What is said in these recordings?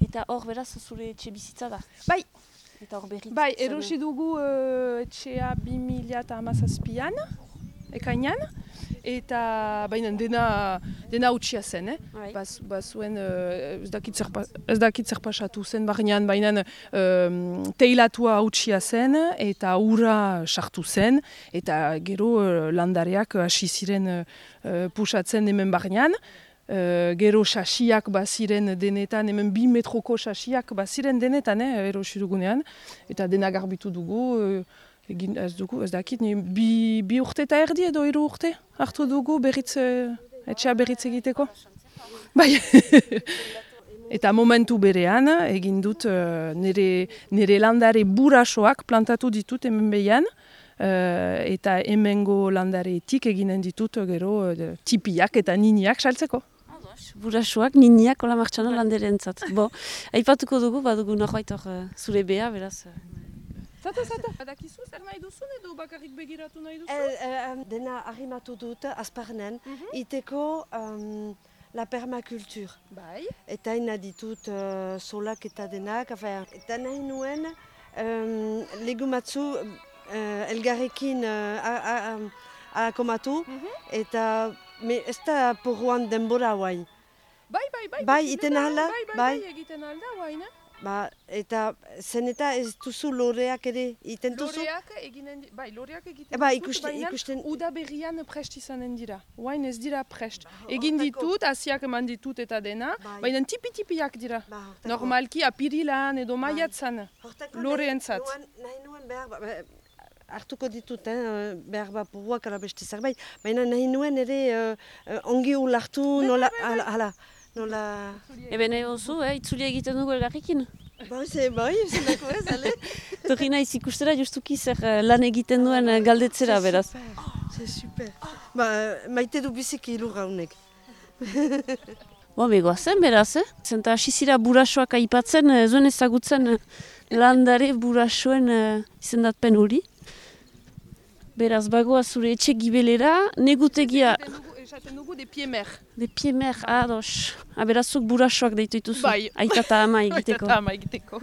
Eta hor beraz zure etxe bizitza da? Bai. Eta hor berriz? Bai, erosi dugu etxea 2017an, ekainan, eta baina dena utxia zen, bazuen ez dakit zer pasatu zen barnean, baina teilatua utxia zen eta ura sartu zen, eta gero landareak hasi ziren pusatzen hemen barnean. Gero sasiak baziren denetan, hemen 2 metroko sasiak baziren denetan, erosi dugunean, eta dena garbitu dugu, egin ez dakit, bi urte eta erdi edo 3 urte hartu dugu etxea berritz egiteko. Bai. Eta momentu berean egin dut nire landare burasoak plantatu ditut hemen behian, eta hemengo landaretik eginen ditut gero tipiak eta niniak saltzeko. Burasoak, niniak, hola martxana landerentzat. Aipatuko dugu, badugu norbait hor zure bea, beraz. Zata. Badakizu zer nahi duzun edo bakarrik begiratu nahi duzu? Dena arrimatu dut azparnen, iteko la permaculture. Bai. Eta ina ditut solak eta denak, eta nahi nuen legumatzu elgarrekin akomatu, eta ez da porruan denbora guai. Bai, iten ahala? Bai, egiten alda guain. Eta zen eta ez duzu loreak ere iten duzu? Loreak egiten ikusten. Uda berrian prest izanen dira. Guain ez dira prest. Egin ditut, hasiak eman ditut eta dena, baina tipi-tipiak dira. Normalki apirilan edo maiatzan, loreentzat. Nahi nuen behar, hartuko ditut, behar porruak ala beste zerbait, baina nahi nuen ere ongi ulartu nola. Eben oso, itzulia egiten dugu elgarrekin? Bai, zenako ez, ale? Torri naiz ikustera justuki zer lan egiten duen galdetzera, beraz. C'est super. Maite du biziki ilurra honek. Begoazen, beraz, Zenta asizira burasoak aipatzen, zuen ezagutzen landare burasoen izendatpen hori. Beraz, bagoa zure etxe gibelera, negutegia... Esaten dugu de piemer. De piemer, ados. Berazuk burasoak deitu dituzu. Bai. Aita eta ama egiteko. Aita eta ama egiteko.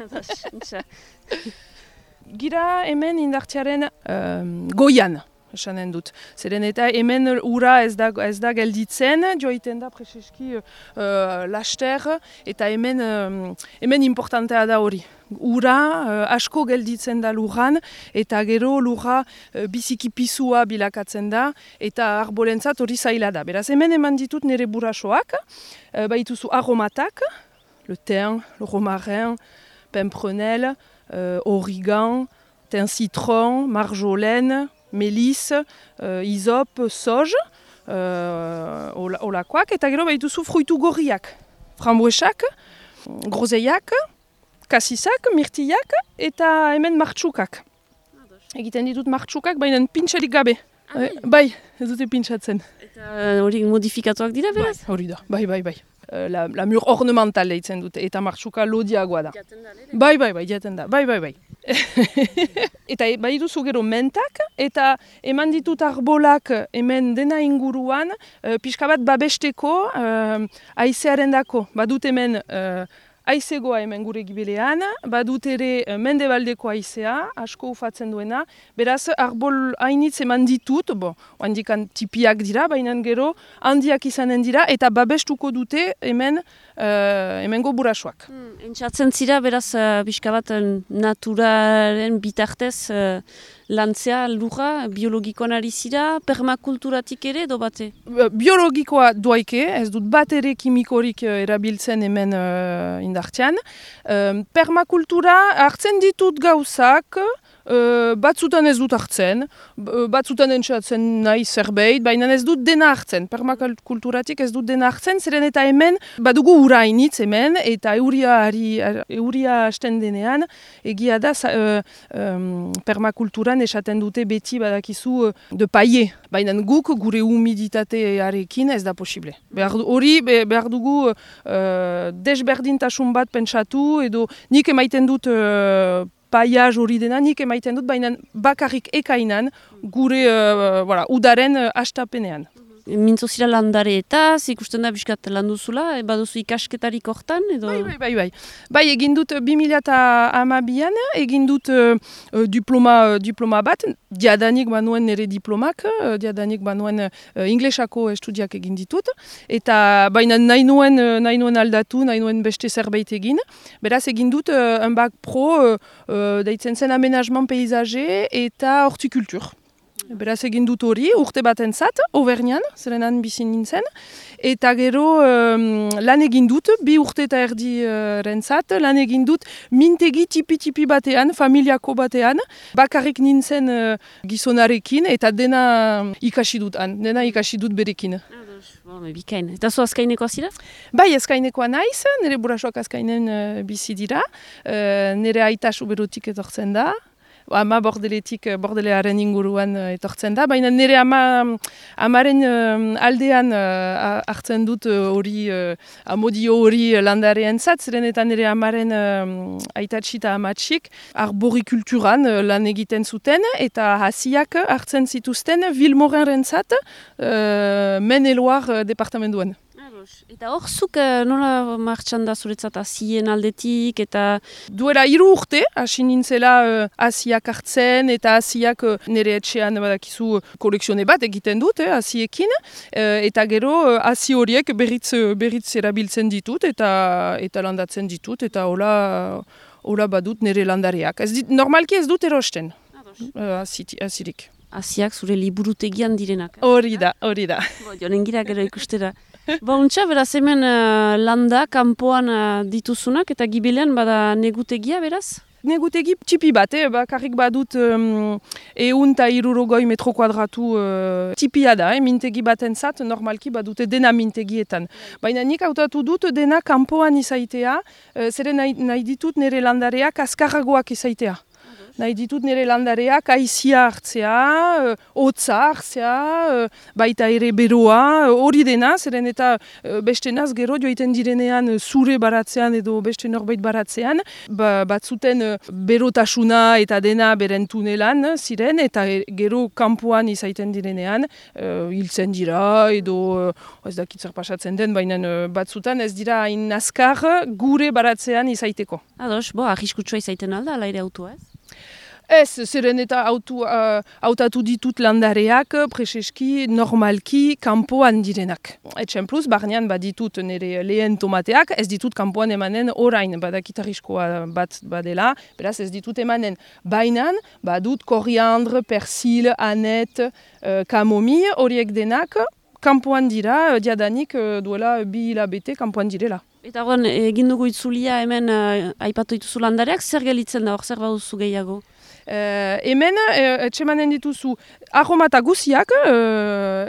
Gira hemen indartzearen goian, esanen dut. Zeren eta hemen ura ez da gelditzen, joiten da preseski laster, eta hemen importantea da hori. Ura asko gelditzen da lurran, eta gero lurra biziki pisua bilakatzen da, eta arbolentzat hori zaila da. Beraz, hemen eman ditut nire burasoak, baituzu aromatak, le thym, le romarin, pimprenel, origan, thym citron, marjolaine, mélisse, hysope, sauge, olakoak, eta gero baituzu fruitu gorriak, frambuesak, grozeiak, kasisak, mirtillak eta hemen martxukak. Egiten ditut martxukak, baina pintxerik gabe. Bai, ez dute pintxatzen. Eta hori modifikatuak dira, beraz? Hori da, bai. La mur ornamental deitzen dute, eta martxuka lodiagoa da. Bai, jaten da, bai. Eta bai duzu gero mentak, eta eman ditut arbolak hemen dena inguruan, pixka bat babesteko haizearen dako. Badut hemen haizegoa hemen gure gibelean, badut ere mendebaldeko haizea, asko ufatzen duena, beraz arbol hainitz eman ditut, handikan tipiak dira, baina gero handiak izanen dira, eta babestuko dute hemengo burasoak. Entzatzen zira, beraz, pixka bat naturaren bitartez lantzea lurra, biologikoan ari zira, permakulturatik ere edo bate? Biologikoa doaike, ez dut bat ere kimikorik erabiltzen hemen indartzean. Permakultura hartzen ditut gauzak, batzutan ez dut hartzen, batzutan entzatzen nahi zerbait, baina ez dut dena hartzen. Permakulturatik ez dut dena hartzen, zeren eta hemen badugu ura hainitz hemen, eta euria hasten denean, egia da permakulturan esaten dute beti badakizu de paie, baina guk gure humiditatearekin ez da posible. Behar dugu desberdintasun bat pentsatu, edo nik emaiten dut paiaz hori dena, nik emaiten dut, baina bakarrik ekainan gure udaren hastapenean. mintzo zira landareetaz, ikusten da biskat landuzula, baduzu ikasketarik hortan, edo... Bai. Bai, egin dut 2012an, egin dut diploma bat, diadanik banuen nire diplomak, diadanik banuen inglesako estudiak egin ditut, eta baina nahi nuen aldatu, nahi nuen beste zerbait egin. Beraz, egin dut un bac pro, deitzen zen aménagement paysager eta hortikultur. Beraz egin dut hori, urte batentzat, Auvergnan, zerenan bizi nintzen, eta gero lan egin dut, 2 urte eta erdi rentzat, lan egin dut mintegi tipi batean, familiako batean, bakarrik nintzen gizonarekin, eta dena ikasi dut berekin. Bikain. Eta zu azkainekoa zira? Bai, azkainekoa naiz, nire burasoak azkainen bizi dira, nire aita Suberotik etortzen da, ama bordelearen inguruan etortzen da, baina nire amaren aldean hartzen dut hori, amodio hori landareen zat, zeren eta nire amaren aitatxi eta amatxik arborikulturan lan egiten zuten, eta hasiak hartzen zituzten Vilmorenren zat, Maine-et-Loire departamentuan. Eta hor, zuk nola martxan da zuretzat hasien aldetik, eta... Duela 3 urte, hasi nintzela hasiak hartzen, eta hasiak nire etxean badakizu kolekzione bat egiten dut, hasiekin, eta gero hasi horiek berriz erabiltzen ditut, eta landatzen ditut, eta hola badut nire landareak. Normalki ez dut erosten, hasirik. Hasiak zure liburutegian direnak. Hori da. Jonen gira gero ikustera. Untxa, beraz hemen landa, kanpoan dituzunak, eta Gibelean bada negutegia, beraz? Negutegi tipi bat, bakarrik badut 160 metro kuadratu tipia da, mintegi batentzat, normalki badute dena mintegietan. Baina nik hautatu dut dena kanpoan izaitea, zeren nahi ditut nire landareak azkarragoak izaitea. Nahi ditut nire landareak aizia hartzea, hotza hartzea, baita ere beroa, hori dena, zeren eta beste naz gero joiten direnean zure baratzean edo beste norbait baratzean, batzuten berotasuna eta dena beren tunelan ziren, eta gero kanpoan izaiten direnean, hiltzen dira edo ez dakit zer pasatzen den, baina batzutan ez dira hain azkar gure baratzean izaiteko. Ados, arriskutsua izaiten alda, ala ere autua ez? Ez, zeren eta hautatu ditut landareak, preseski, normalki, kanpoan direnak. Etxempluz, barnean baditut nire lehen tomateak, ez ditut kanpoan emanen orain, badakit arriskoa bat badela, beraz ez ditut emanen. Bainan, badut koriandre, persil, anet, kamomi, horiek denak, kanpoan dira, diadanik duela 2 hilabete kanpoan direla. Eta horren, egin dugu itzulia hemen aipatu dituzu landareak, zer gelitzen da, hor zer baduzu gehiago? Hemen, etxemanen dituzu aromata guziak,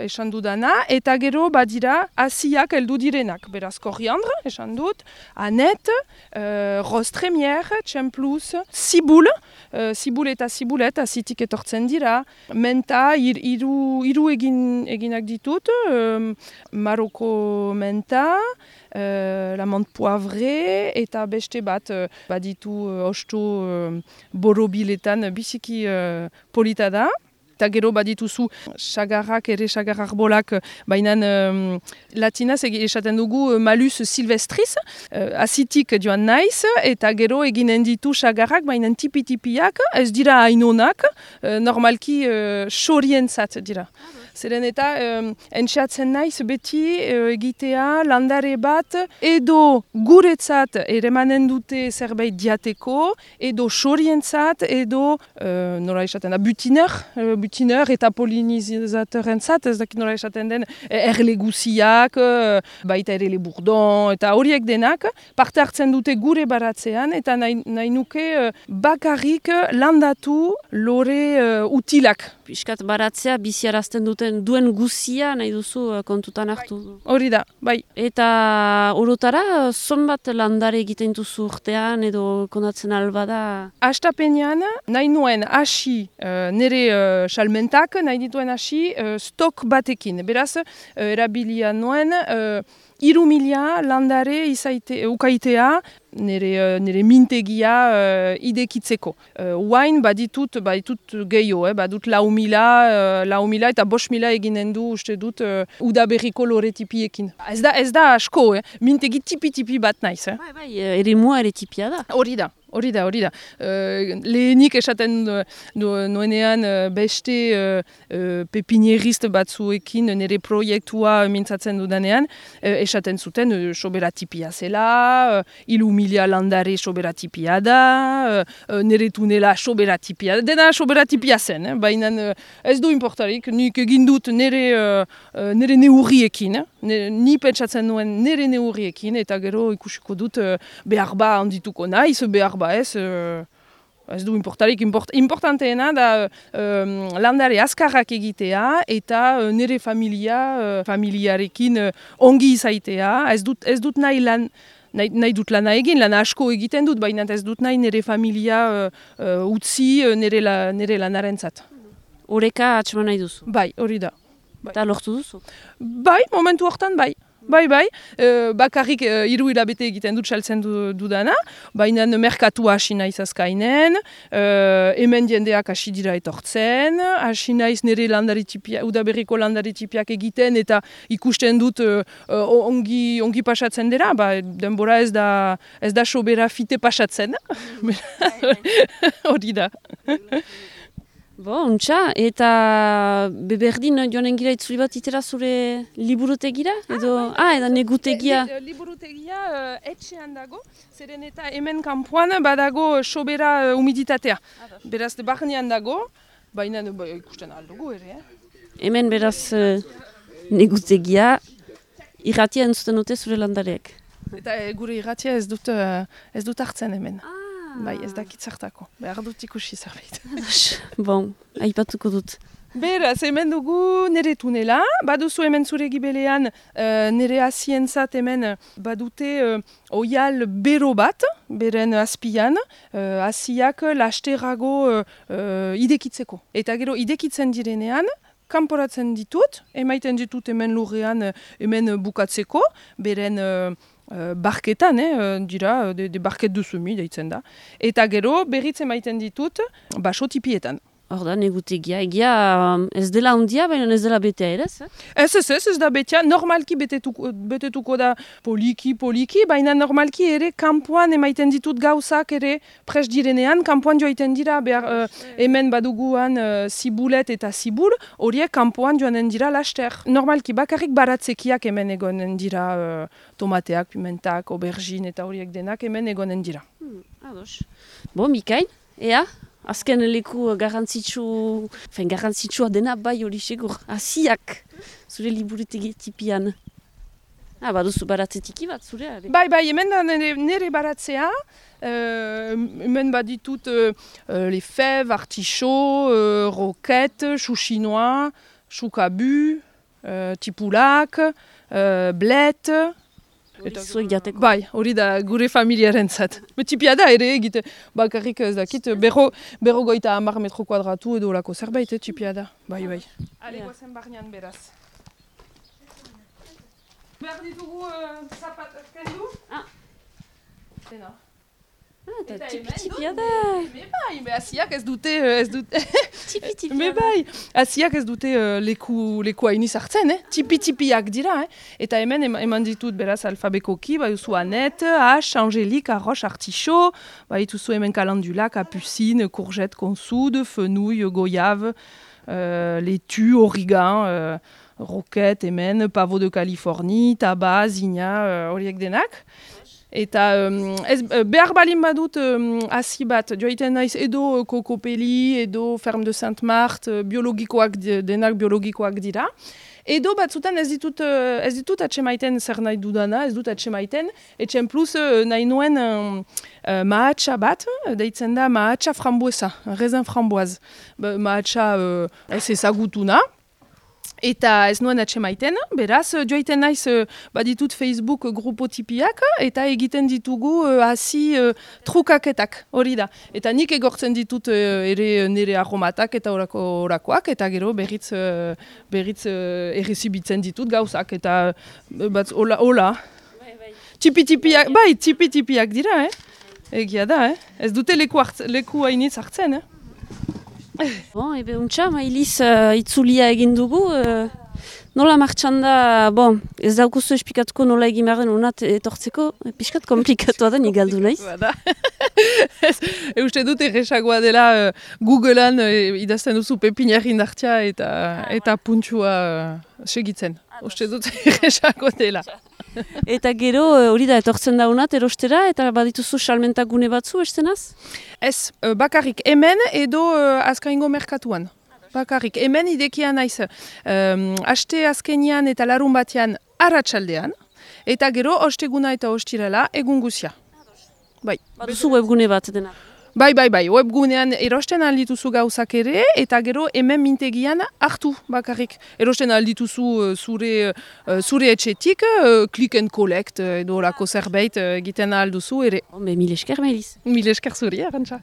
esan dudana, eta gero badira hasiak heldu direnak. Beraz, koriandre, esan dut, anet, roz tremier, txempluz, zibul eta zibulet, hasitik etortzen dira, menta, hiru eginak ditut, maroko menta, la menthe poivrée, eta beste bat baditu osto borobiletan biziki polita da. Eta gero badituzu sagarrak, sagar arbolak, baina latinaz esaten dugu malus silvestris, azitik joan naiz, eta gero eginen ditu sagarrak, baina tipi-tipiak, ez dira hainonak, normalki xorientzat dira. Zeren eta entxeatzen naiz beti egitea landare bat edo guretzat eremanen dute zerbait diateko, edo xorientzat, edo nola esaten da, butiner eta polinizatorrentzat, ez dakit nola esaten den, erleguziak, baita ere leburdon, eta horiek denak parte hartzen dute gure baratzean, eta nahi nuke bakarrik landatu lore utilak. Piskat baratzea biziarazten duen guzia nahi duzu kontutan hartu. Hori da, bai. Eta orotara, zonbat landare egiten duzu urtean edo kondatzen albada? Hastapenean, nahi nuen hasi nire salmentak, nahi dituen hasi stok batekin. Beraz, erabilia nuen 3.000 landare ukaitea nire mintegia idekitzeko. Oain baditut gehiago, badut 4.000 eta 5.000 eginen du uste dut udaberriko lore tipiekin. Ez da asko, mintegi tipi bat naiz. Bai, ere mua ere tipia da. Hori da. Lehenik esaten nuenean beste pepinierist batzuekin nire proiektua mintzatzen dudanean, esaten zuten soberatipia zela, 4.000 landare soberatipia da, nire tunela soberatipia da, dena soberatipia zen, baina ez du importarik, nik egin dut nire neurriekin, ni pentsatzen nuen nire neurriekin, eta gero ikusiko dut behar ba handituko naiz, behar ba ez du importarik. Importanteena da landare azkarrak egitea eta nire familiarekin ongi izaitea. Ez dut nahi dut lana egin, lana asko egiten dut, baina ez dut nahi nire familia utzi nire lanarentzat. Oreka atxeman nahi duzu? Bai, hori da. Eta lortu duzu? Bai, momentu hortan bai. Bai, bakarrik 3 hilabete egiten dut saltzen dudana, baina merkatua hasi naiz azkainen, hemen jendeak hasi dira etortzen, hasi naiz nire udaberriko landari tipiak egiten eta ikusten dut ongi pasatzen dira, denbora ez da sobera fite pasatzen, hori da. Untxa, eta beberdin joanen gira itzuli bat itera zure liburutegira? Edo negutegia? Liburutegia etxean dago, zeren eta hemen kanpoan badago sobera humiditatea. Beraz, barnean dago, baina ikusten aldugu ere. Hemen beraz negutegia irratia entzuten dute zure landareak. Eta gure irratia ez dut hartzen hemen. Bai, ez dakit zertako. Behar dut ikusi zerbait. Aipatuko dut. Beraz, hemen dugu nire tunela. Baduzu hemen zure gibelean nire hasientzat hemen badute oial bero bat, beren azpian, hasiak lasterago idekitzeko. Eta gero idekitzen direnean, kanporatzen ditut, emaiten ditut hemen lurrean hemen bukatzeko, beren barketan, dira, de barket duzumi, deitzen da. Eta gero, berriz emaiten ditut, baso tipietan. Hor da, negutegia, egia ez dela ondia, baina ez dela betea ere, ez? Ez da betea, normalki betetuko da poliki, baina normalki ere kanpoan emaiten ditut gauzak ere pres direnean, kanpoan joaiten dira, hemen baduguan zibulet eta zibul, horiek kanpoan joanen dira laster. Normalki bakarrik baratzekiak hemen egonen dira, tomateak, pimentak, aubergine eta horiek denak hemen egonen dira. Ados. Mikain, ea? Azken leku garrantzitsua dena bai hori segur. Hasiak, zure liburutegi tipian. Baduzu baratzetiki bat, zure? Bai, hemen da nire baratzea. Hemen baditut les fèves, artichaut, roquette, chou chinois, chou cabu, tipulak, blette. Bai, hori da gure familiaren zat. Tipia da ere egite, bakarrik ez dakit, berro goita 10 metro kuadratu edo lako zerbait, tipia da. Bai. Ale, goazen barnean beraz. Behar ditugu zapat kendu? Dena. Eta tipia da. Bai, hasiak ez dute... Tipi. Bai, hasiak ez dute leku hainiz hartzen, tipiak dira. Eta hemen eman ditut beraz alfabekoki, baiuzu Anet, H, Angélique, Arroche, Artichaut, baituzu hemen calendula, capucine, courgette, consoude, fenouil, goyave, laitue, origan, roquette, hemen, pavot de Californie, tabac, zinnia, horiek denak. Eta behar balin badut hasi bat, joaiten naiz edo kokopeli, edo ferme de Sainte-Marthe, denak biologikoak dira. Edo batzutan ez ditut atxemaiten zer nahi dudana, ez dut atxemaiten, etxen plus nahi nuen mahatsa bat, deitzen da mahatsa frambuesa, raisin framboise. Mahatsa ez ezagutuna. Eta ez nuen atxemaiten, beraz, joaiten naiz baditut Facebook grupo tipiak, eta egiten ditugu hasi trukaketak, hori da. Eta nik egortzen ditut ere nire aromatak eta orakoak, eta gero berriz errezibitzen ditut gauzak, eta hola. Tipi-tipiak, bai, tipi-tipiak dira, egia da, ez dute leku hainitz hartzen, Bon, ebe untxa, mailiz itzulia egin dugu. Nola martxan da, bon, ez daukuzu esplikatuko nola egin behar den unat etortzeko, pixkat komplikatua da, nik galdu naiz. Uste dut erresagoa dela Googlean idazten duzu pepinarri indartia eta puntua segitzen. Uste dut erresago dela. Eta gero hori da etortzen da unat erostera eta badituzu salmentak gune batzu estenaz? Ez, bakarrik hemen edo azkaingo merkatuan. Bakarrik, hemen idekia naiz aste azkenian eta larun batean arratsaldean, eta gero osteguna eta ostirala egun guzia. Bai. Baduzu webgune bat dena? Bai, webgunean erosten aldituzu gauzak ere, eta gero hemen mintegian hartu bakarrik. Erosten aldituzu zure etxetik, click and collect edo lako zerbait egiten alduzu ere. Mil esker, Mailiz. Mil esker zuri, Arantxa.